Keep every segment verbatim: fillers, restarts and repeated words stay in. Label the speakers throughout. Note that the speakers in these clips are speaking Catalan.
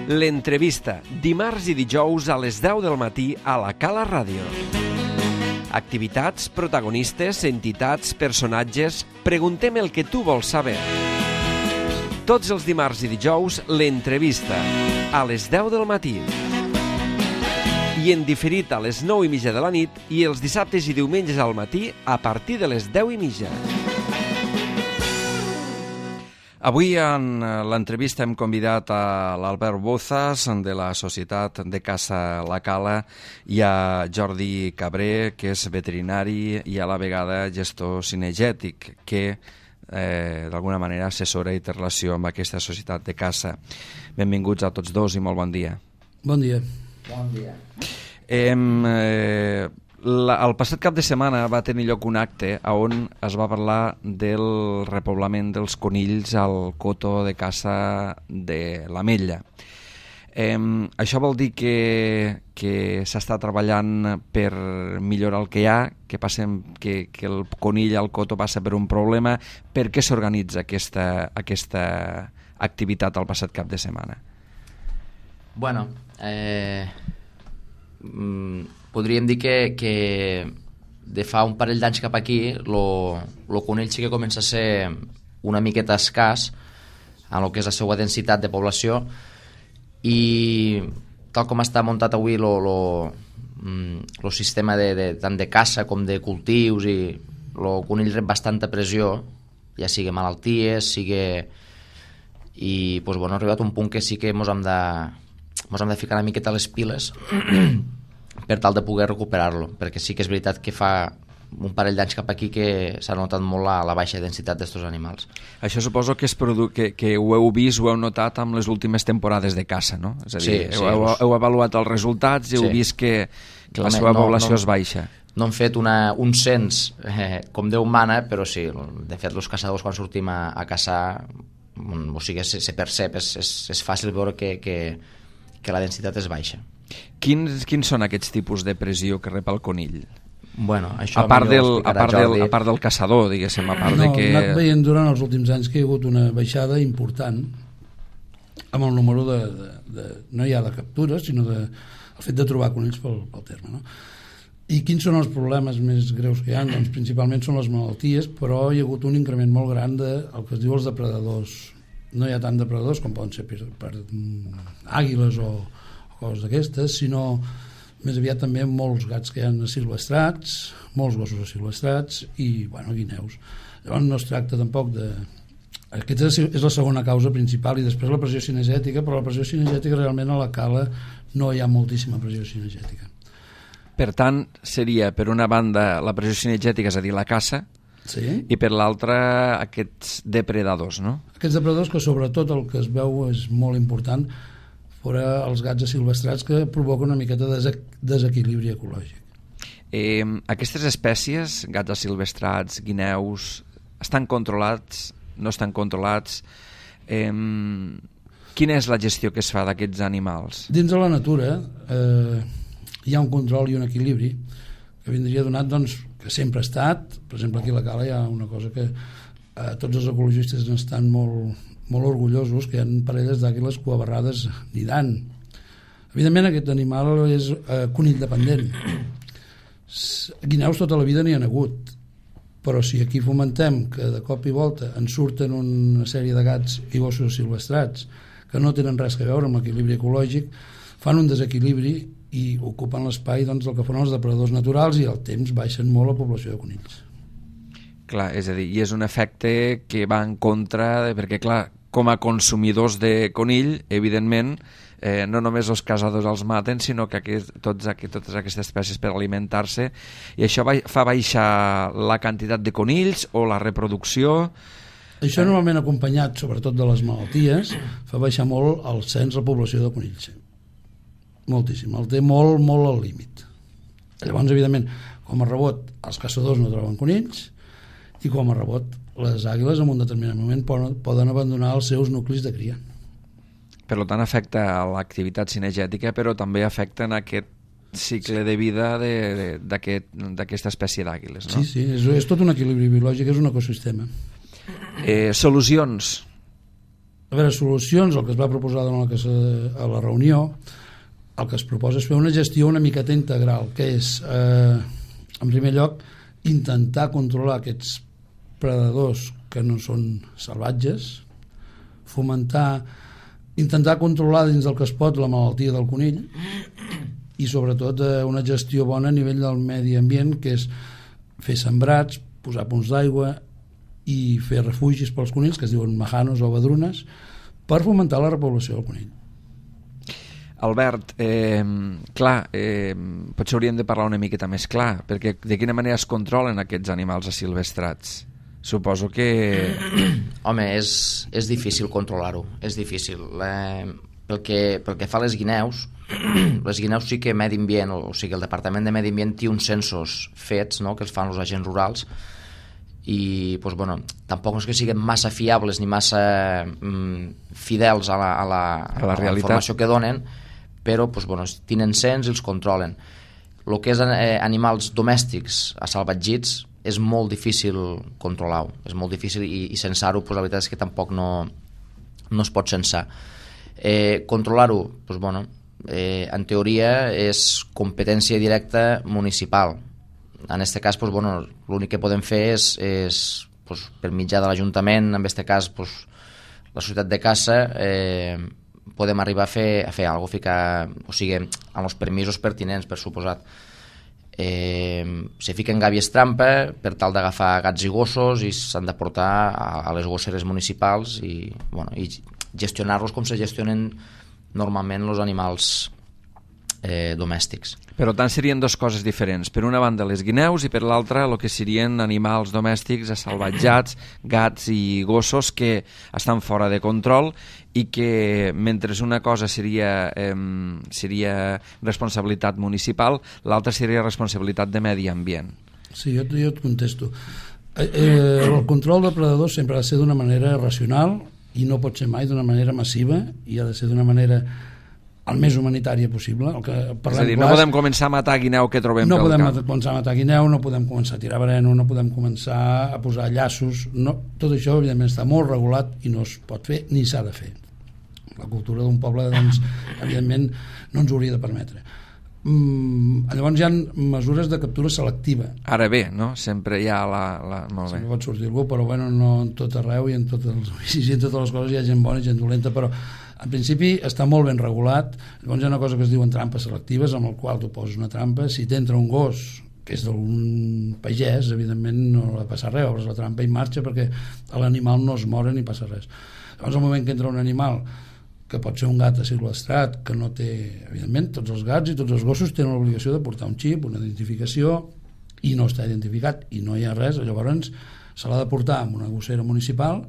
Speaker 1: L'entrevista, dimarts i dijous a les deu del matí a la Cala Ràdio. Activitats, protagonistes, entitats, personatges... Preguntem el que tu vols saber. Tots els dimarts i dijous, l'entrevista, a les deu del matí. I en diferit a les nou i mitja de la nit i els dissabtes i diumenges al matí a partir de les deu i mitja.
Speaker 2: Avui en l'entrevista hem convidat a l'Albert Bozas de la Societat de Caça La Cala i a Jordi Cabré, que és veterinari i a la vegada gestor cinegètic, que eh, d'alguna manera assessora i té relació amb aquesta societat de caça. Benvinguts a tots dos i molt bon dia.
Speaker 3: Bon dia.
Speaker 4: Bon dia.
Speaker 2: Hem... Eh, La, el passat cap de setmana va tenir lloc un acte on es va parlar del repoblament dels conills al coto de caça de l'Ametlla. Eh, això vol dir que, que s'està treballant per millorar el que hi ha, que, passem, que, que el conill al coto passa per un problema. Per què s'organitza aquesta, aquesta activitat el passat cap de setmana?
Speaker 4: Bueno, eh... Mm, podríem dir que, que de fa un parell d'anys cap aquí el conill sí que comença a ser una miqueta escàs en el que és la seva densitat de població, i tal com està muntat avui el sistema de, de, tant de caça com de cultius, i el conill rep bastanta pressió, ja sigui malalties, sigui... i pues, bueno, ha arribat un punt que sí que mos hem de, mos hem de ficar una miqueta a les piles per tal de poder recuperar-lo, perquè sí que és veritat que fa un parell d'anys cap aquí que s'ha notat molt la, la baixa densitat d'estos animals.
Speaker 2: Això suposo que, és produ- que, que ho heu vist, ho heu notat amb les últimes temporades de caça, no? És a dir,
Speaker 4: Sí,
Speaker 2: heu,
Speaker 4: sí,
Speaker 2: heu,
Speaker 4: us-
Speaker 2: heu avaluat els resultats i heu
Speaker 4: Sí.
Speaker 2: vist que, que la
Speaker 4: Home,
Speaker 2: seva
Speaker 4: no-
Speaker 2: població
Speaker 4: no-
Speaker 2: es baixa.
Speaker 4: No hem fet una, un cens eh, com Déu mana, però sí, de fet els caçadors quan sortim a, a caçar, o sigui, se, se percep, és, és, és fàcil veure que, que, que la densitat és baixa.
Speaker 2: Quins, quins són aquests tipus de pressió que rep el conill?
Speaker 4: Bueno, això
Speaker 2: A part,
Speaker 4: millor
Speaker 2: del,
Speaker 4: ho
Speaker 2: a,
Speaker 4: explicarà
Speaker 2: part del,
Speaker 4: Jordi.
Speaker 2: a part del caçador, diguéssim, a part
Speaker 3: No,
Speaker 2: de que...
Speaker 3: hem anat veient durant els últims anys que hi ha hagut una baixada important amb el número de... de, de no ja de captures, sinó de, el fet de trobar conills pel, pel terme, no? I quins són els problemes més greus que hi ha? Doncs principalment són les malalties, però hi ha hagut un increment molt gran de el que es diu els depredadors. No hi ha tant depredadors com poden ser per, per mm, àguiles o, o coses d'aquestes, sinó més aviat també molts gats que hi ha asilvestrats, molts gossos asilvestrats i, bueno, guineus. Llavors no es tracta tampoc de... Aquesta és la segona causa principal, i després la pressió cinegètica, però la pressió cinegètica realment a la cala no hi ha moltíssima pressió cinegètica.
Speaker 2: Per tant, seria, per una banda, la pressió cinegètica, és a dir, la caça,
Speaker 3: Sí?
Speaker 2: i per l'altra, aquests depredadors, no?
Speaker 3: Aquests depredadors, que sobretot el que es veu és molt important, fora els gats asilvestrats, que provoquen una miqueta de desequ- desequilibri ecològic.
Speaker 2: Eh, aquestes espècies, gats asilvestrats, guineus, estan controlats, no estan controlats? Eh, quina és la gestió que es fa d'aquests animals?
Speaker 3: Dins de la natura eh, hi ha un control i un equilibri que vindria donat, doncs, que sempre ha estat. Per exemple, aquí a la Cala hi ha una cosa que eh, tots els ecologistes n'estan molt, molt orgullosos, que hi ha parelles d'àguiles coabarrades nidant. Evidentment aquest animal és eh, conill dependent. S- Guineus tota la vida n'hi ha hagut, però si aquí fomentem que de cop i volta en surten una sèrie de gats i gossos silvestrats que no tenen res a veure amb l'equilibri ecològic, fan un desequilibri i ocupen l'espai, doncs, del que fan els depredadors naturals, i al temps baixen molt la població de conills.
Speaker 2: Clar, és a dir, i és un efecte que va en contra, de, perquè clar, com a consumidors de conill, evidentment, eh, no només els caçadors els maten, sinó que aquest, tots, aquest, totes aquestes espècies per alimentar-se, i això va, fa baixar la quantitat de conills o la reproducció.
Speaker 3: Això normalment acompanyat, sobretot de les malalties, fa baixar molt el cens, la població de conills. Moltíssim, el té molt, molt al límit. Llavors, evidentment, com a rebot, els caçadors no troben conills, i com a rebot, les àguiles en un determinat moment poden, poden abandonar els seus nuclis de cria.
Speaker 2: Per tant, afecta l'activitat cinegètica, però també afecta en aquest cicle de vida de- de- d'aquest- d'aquesta espècie d'àguiles, no?
Speaker 3: Sí, sí, és, és tot un equilibri biològic, és un ecosistema.
Speaker 2: Eh, solucions.
Speaker 3: A veure, solucions, el que es va proposar durant la, que se, a la reunió, el que es proposa és fer una gestió una miqueta integral, que és, eh, en primer lloc, intentar controlar aquests predadors que no són salvatges, fomentar, intentar controlar dins del que es pot la malaltia del conill i sobretot eh, una gestió bona a nivell del medi ambient, que és fer sembrats, posar punts d'aigua i fer refugis pels conills, que es diuen majanos o badrunes, per fomentar la repoblació del conill.
Speaker 2: Albert, eh, clar, eh, potser hauríem de parlar una miqueta més clar, perquè de quina manera es controlen aquests animals asilvestrats? Suposo que...
Speaker 4: Home, és, és difícil controlar-ho, és difícil. Eh, pel, que, pel que fa a les guineus, les guineus sí que Medi Ambient, o sigui, el Departament de Medi Ambient té uns censos fets, no?, que els fan els agents rurals, i pues, bueno, tampoc no és que siguin massa fiables ni massa mm, fidels a la, a la,
Speaker 2: a la,
Speaker 4: a la informació que donen, però pues, bueno, tenen cens i els controlen. El que és eh, animals domèstics assalvatgits és molt difícil controlar-ho, és molt difícil, i, i censar-ho, pues, la veritat és que tampoc no, no es pot censar. Eh, controlar-ho, pues, bueno, eh, en teoria és competència directa municipal. En aquest cas, pues, bueno, l'únic que podem fer és, és pues, per mitjà de l'Ajuntament, en aquest cas pues, la societat de caça, eh, podem arribar a fer, a fer alguna cosa, ficar, o sigui, amb els permisos pertinents, per suposat. Eh, se fiquen gàbies trampa per tal d'agafar gats i gossos i s'han de portar a, a les gosseres municipals i, bueno, i gestionar-los com se gestionen normalment els animals eh, domèstics.
Speaker 2: Per tant, serien dues coses diferents. Per una banda, les guineus, i per l'altra, el que serien animals domèstics assalvatjats, gats i gossos que estan fora de control i que, mentre una cosa seria, eh, seria responsabilitat municipal, l'altra seria responsabilitat de medi ambient.
Speaker 3: Sí, jo, jo et contesto. Eh, eh, el control de predadors sempre ha de ser d'una manera racional i no pot ser mai d'una manera massiva, i ha de ser d'una manera el més humanitària possible. El que
Speaker 2: és a dir, no podem començar a matar guineu que trobem
Speaker 3: no
Speaker 2: pel
Speaker 3: podem
Speaker 2: camp.
Speaker 3: començar a matar guineu, no podem començar a tirar veneno, no podem començar a posar llaços, no, tot això evidentment està molt regulat i no es pot fer ni s'ha de fer. La cultura d'un poble, doncs, evidentment no ens ho hauria de permetre. Mm, llavors hi ha mesures de captura selectiva.
Speaker 2: Ara bé, no? Sempre hi ha la... la... Molt bé.
Speaker 3: Sempre pot sortir algú, però bueno, no en tot arreu i en tots els oficis i en totes les coses hi ha gent bona i gent dolenta, però en principi està molt ben regulat. Llavors hi ha una cosa que es diuen trampes selectives, amb el qual tu poses una trampa. Si t'entra un gos que és d'un pagès, evidentment no ha de passar res, obres la trampa i marxa, perquè l'animal no es mora ni passa res. Llavors, al moment que entra un animal, que pot ser un gat asilvestrat, que no té, evidentment, tots els gats i tots els gossos tenen l'obligació de portar un xip, una identificació, i no està identificat, i no hi ha res, llavors se l'ha de portar amb una gossera municipal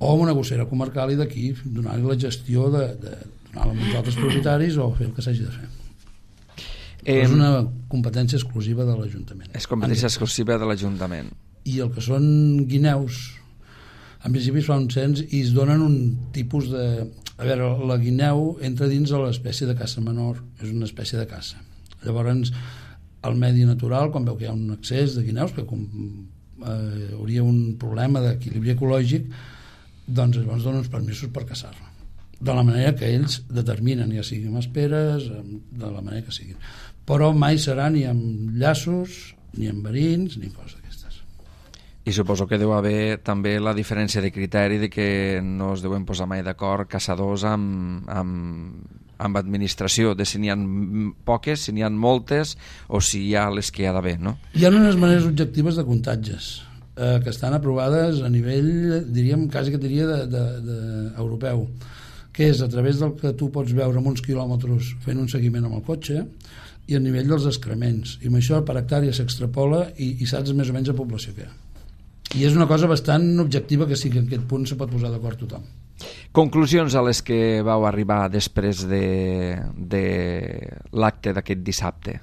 Speaker 3: o amb una gossera comarcal i d'aquí donar-li la gestió de, de donar-la als altres propietaris o fer el que s'hagi de fer. Eh, és una competència exclusiva de l'Ajuntament.
Speaker 2: És competència exclusiva de l'Ajuntament.
Speaker 3: I el que són guineus, en principi es fa un cens i es donen un tipus de... A veure, la guineu entra dins de l'espècie de caça menor, és una espècie de caça. Llavors, el medi natural, quan veu que hi ha un excés de guineus, que com, eh, hauria un problema d'equilibri ecològic, doncs llavors donen uns permisos per caçar-la. De la manera que ells determinen, ja sigui amb esperes, de la manera que siguin. Però mai serà ni amb llaços, ni amb verins, ni coses d'aquestes.
Speaker 2: I suposo que deu haver també la diferència de criteri de que no es deuen posar mai d'acord caçadors amb, amb, amb administració, de si n'hi ha poques, si n'hi ha moltes o si hi ha les que hi ha d'haver, no?
Speaker 3: Hi ha unes maneres objectives de comptatges eh, que estan aprovades a nivell, diríem, quasi que diria de, de, de europeu, que és a través del que tu pots veure amb uns quilòmetres fent un seguiment amb el cotxe i a nivell dels excrements. I amb això per hectàrea s'extrapola i, i saps més o menys la població que hi ha. I és una cosa bastant objectiva que sí que en aquest punt se pot posar d'acord tothom.
Speaker 2: Conclusions a les que vau arribar després de, de l'acte d'aquest dissabte?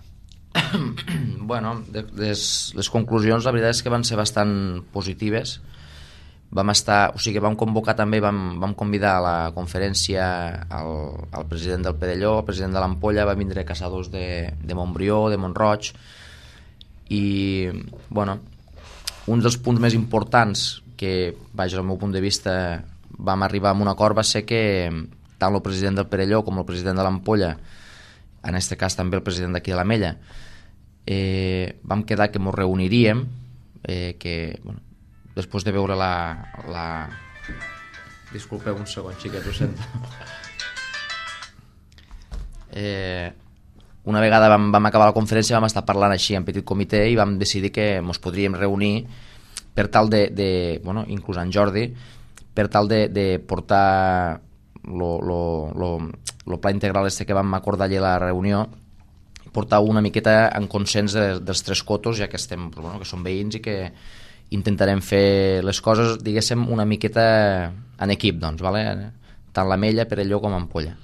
Speaker 4: Bueno, de, les, les conclusions la veritat és que van ser bastant positives. Vam estar, o sigui, vam convocar també, vam, vam convidar a la conferència al, al president del Pedelló, al president de l'Ampolla, va vindre caçadors de, de Montbrió, de Montroig, i, bueno, un dels punts més importants que, vaja, al meu punt de vista, vam arribar a un acord va ser que tant el president del Perelló com el president de l'Ampolla, en aquest cas també el president d'aquí de l'Amella, eh, vam quedar que ens reuniríem, eh, que bueno, després de veure la, la... Disculpeu un segon, xiquet, ho sento. Eh, una vegada vam, vam acabar la conferència, vam estar parlant així en petit comitè i vam decidir que ens podríem reunir per tal de, de bueno, inclús en Jordi, per tal de, de portar lo, lo, lo, lo pla integral este que vam acordar allà a la reunió, portar una miqueta en consens de, dels tres cotos, ja que estem, bueno, que som veïns i que intentarem fer les coses, diguéssim, una miqueta en equip, doncs, vale? Tant l'Amella, Perelló com Ampolla.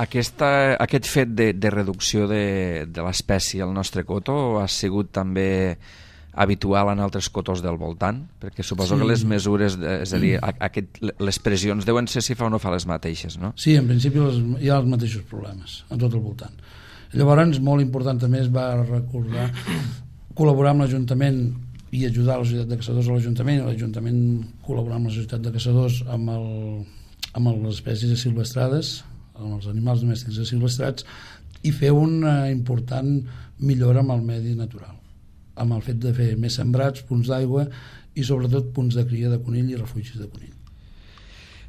Speaker 2: Aquesta, aquest fet de, de reducció de, de l'espècie al nostre coto ha sigut també habitual en altres cotos del voltant? Perquè suposo sí. que les mesures, és a dir, aquest, les pressions deuen ser si fa o no fa les mateixes, no?
Speaker 3: Sí, en principi les, hi ha els mateixos problemes a tot el voltant. Llavors, molt important també es va recordar col·laborar amb l'Ajuntament i ajudar la Societat de Caçadors a l'Ajuntament, i l'Ajuntament col·laborar amb la Societat de Caçadors amb, el, amb les espècies silvestrades, amb els animals domèstics silvestrats, i fer una important millora amb el medi natural, amb el fet de fer més sembrats, punts d'aigua i sobretot punts de cria de conill i refugis de conill.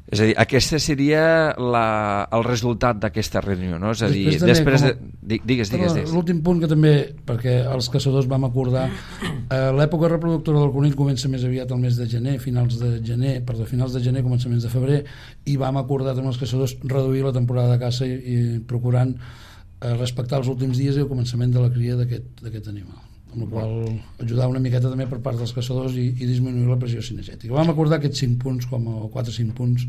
Speaker 2: És a dir, aquest seria la, el resultat d'aquesta reunió, no? És a dir,
Speaker 3: després,
Speaker 2: després
Speaker 3: de...
Speaker 2: de... Digues, digues, digues.
Speaker 3: L'últim punt que també, perquè els caçadors vam acordar, eh, l'època reproductora del conill comença més aviat al mes de gener, finals de gener, perdó, finals de gener, començaments de febrer, i vam acordar amb els caçadors reduir la temporada de caça i, i procurant eh, respectar els últims dies i el començament de la cria d'aquest animal, amb la qual ajudar una miqueta també per part dels caçadors i, i disminuir la pressió cinegètica. Vam acordar aquests cinc punts, com a, o quatre o cinc punts,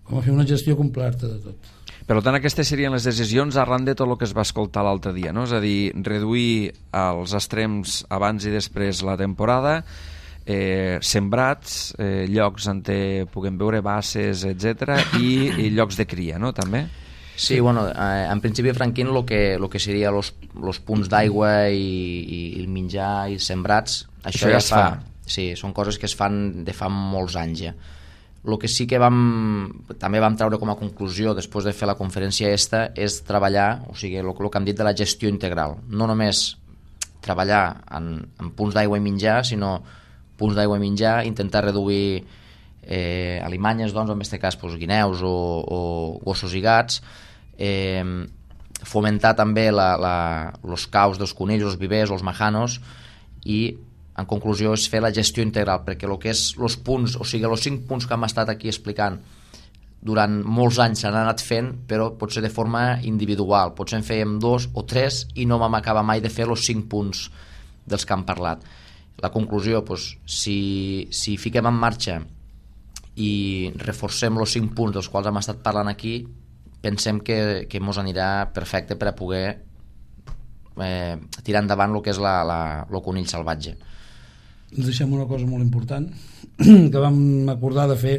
Speaker 3: com a fer una gestió completa de tot.
Speaker 2: Per tant, aquestes serien les decisions arran de tot el que es va escoltar l'altre dia, no? És a dir, reduir els extrems abans i després la temporada, eh, sembrats, eh, llocs on puguem veure basses, etcètera, i, i llocs de cria, no?, també?
Speaker 4: Sí, bueno, eh, en principi, Franquín, el que, lo que seria los, los punts d'aigua i, i el menjar i sembrats, això, això ja es fa. fa. Sí, són coses que es fan de fa molts anys ja. El que sí que vam, també vam treure com a conclusió després de fer la conferència esta és treballar, o sigui, el, el que hem dit de la gestió integral. No només treballar en, en punts d'aigua i menjar, sinó punts d'aigua i menjar, intentar reduir eh, alimanyes, doncs, en aquest cas doncs, guineus o, o gossos i gats, eh, fomentar també la, la, los caus dels conills, els vivers, els majanos, i en conclusió és fer la gestió integral, perquè el que és els punts, o sigui, els cinc punts que hem estat aquí explicant durant molts anys s'han anat fent, però potser de forma individual, potser en fèiem dos o tres i no vam acabar mai de fer els cinc punts dels que hem parlat. La conclusió, doncs, si, si fiquem en marxa i reforcem els cinc punts dels quals hem estat parlant aquí, pensem que, que mos anirà perfecte per a poder eh, tirar endavant el que és la, la, el conill salvatge.
Speaker 3: Ens deixem una cosa molt important que vam acordar de fer,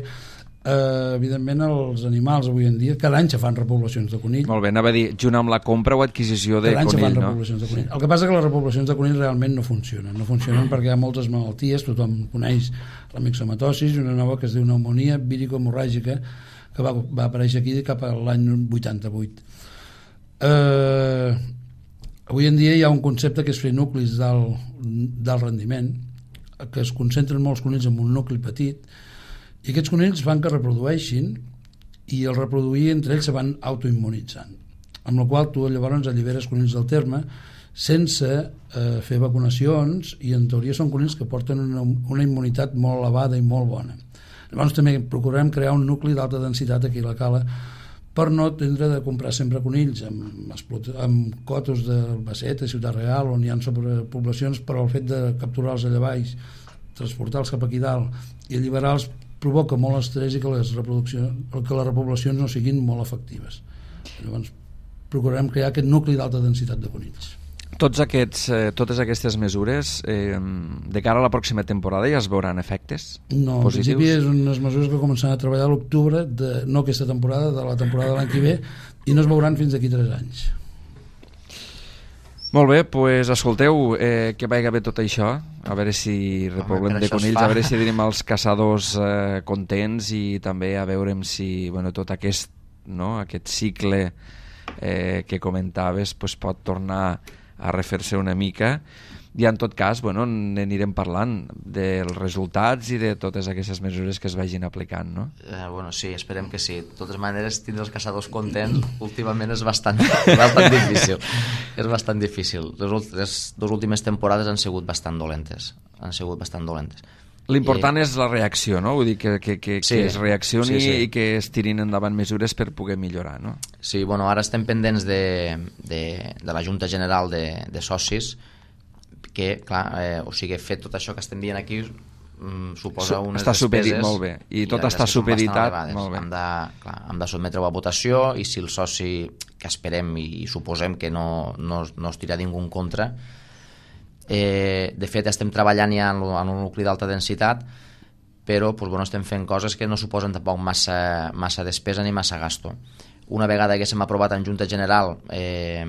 Speaker 3: eh, evidentment els animals avui en dia cada any se fan repoblacions de conill.
Speaker 2: Molt bé, anava a dir, junt amb la compra o adquisició de
Speaker 3: cada any
Speaker 2: conill,
Speaker 3: se fan
Speaker 2: no?
Speaker 3: repoblacions de conill. El que passa és que les repoblacions de conill realment no funcionen, no funcionen mm. perquè hi ha moltes malalties, tothom coneix la mixomatosis i una nova que es diu pneumònia vírico-hemorràgica que va, va aparèixer aquí cap a l'any vuitanta-vuit. Eh, avui en dia hi ha un concepte que és fer nuclis d'alt, d'alt rendiment, que es concentren molts conills en un nucli petit, i aquests conills fan que reprodueixin i el reproduir entre ells se van autoimmunitzant, amb la qual tu llavors alliberes conills del terme sense eh, fer vacunacions, i en teoria són conills que porten una, una immunitat molt elevada i molt bona. Llavors també procurem crear un nucli d'alta densitat aquí a la cala per no tindre de comprar sempre conills amb, amb cotos de Albacete, Ciutat Real, on hi ha sobrepoblacions, però el fet de capturar-los allà baix, transportar-los cap aquí dalt i alliberar-los provoca molt estrès i que les, reproduccions, que les repoblacions no siguin molt efectives. Llavors procurem crear aquest nucli d'alta densitat de conills.
Speaker 2: Tots aquests, eh, totes aquestes mesures eh, de cara a la pròxima temporada ja es veuran efectes
Speaker 3: no,
Speaker 2: positius?
Speaker 3: En principi és unes mesures que començaran a treballar a l'octubre, de, no aquesta temporada, de la temporada de l'any que ve, i no es veuran fins d'aquí tres anys.
Speaker 2: Molt bé, doncs pues, escolteu, eh, que vagi bé tot això, a veure si repoblem
Speaker 4: Home,
Speaker 2: de conills, a veure si tenim els caçadors eh, contents i també a veure si bueno, tot aquest, no, aquest cicle eh, que comentaves pues, pot tornar a refer-se una mica. I en tot cas, bueno, n'anirem parlant dels resultats i de totes aquestes mesures que es vagin aplicant, no?
Speaker 4: Eh, bueno, sí, esperem que sí. De totes maneres, tindre els caçadors contents últimament és bastant, bastant difícil. És bastant difícil. Les, les dues últimes temporades han sigut bastant dolentes. Han sigut bastant dolentes.
Speaker 2: L'important I... és la reacció, no? Vull dir que, que, que,
Speaker 4: sí,
Speaker 2: que es reaccioni
Speaker 4: sí, sí.
Speaker 2: i que es tirin endavant mesures per poder millorar, no?
Speaker 4: Sí, bueno, ara estem pendents de, de, de la Junta General de, de Socis, que, clar, eh, o sigui, fet tot això que estem dient aquí mm, suposa unes
Speaker 2: està
Speaker 4: despeses...
Speaker 2: Està molt bé, i, i tot està
Speaker 4: que
Speaker 2: supeditat.
Speaker 4: Molt bé. Hem de, clar, hem de sotmetre-ho a votació i si el soci, que esperem i, i suposem que no, no, no es tira ningú en contra, eh, de fet estem treballant ja en, en un nucli d'alta densitat, però pues, bueno, estem fent coses que no suposen tampoc massa, massa despesa ni massa gasto. Una vegada que s'hem aprovat en Junta General eh,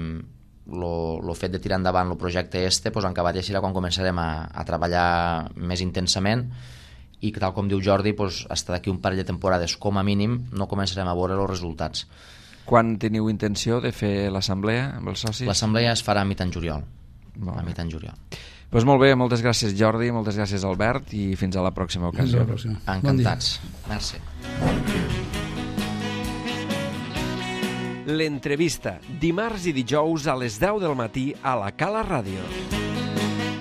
Speaker 4: el fet de tirar endavant el projecte este, pues, en acabat ja serà quan començarem a, a treballar més intensament i tal com diu Jordi, pues, hasta d'aquí un parell de temporades com a mínim no començarem a veure els resultats.
Speaker 2: Quan teniu intenció de fer l'assemblea amb els socis?
Speaker 4: L'assemblea es farà a mitjan juliol.
Speaker 2: Molt
Speaker 4: a
Speaker 2: bé.
Speaker 4: mitjan juliol.
Speaker 2: Pues molt bé, moltes gràcies Jordi, moltes gràcies Albert i fins a la pròxima ocasió.
Speaker 3: Fins a la pròxima.
Speaker 4: Encantats. Bon Merci.
Speaker 1: L'entrevista, dimarts i dijous a les deu del matí a la Cala Ràdio.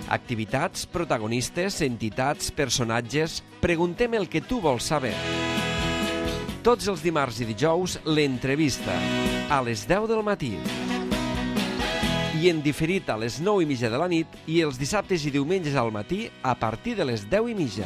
Speaker 1: Activitats, protagonistes, entitats, personatges... Preguntem el que tu vols saber. Tots els dimarts i dijous, l'entrevista, a les deu del matí. I en diferit a les nou i mitja de la nit i els dissabtes i diumenges al matí a partir de les deu i mitja.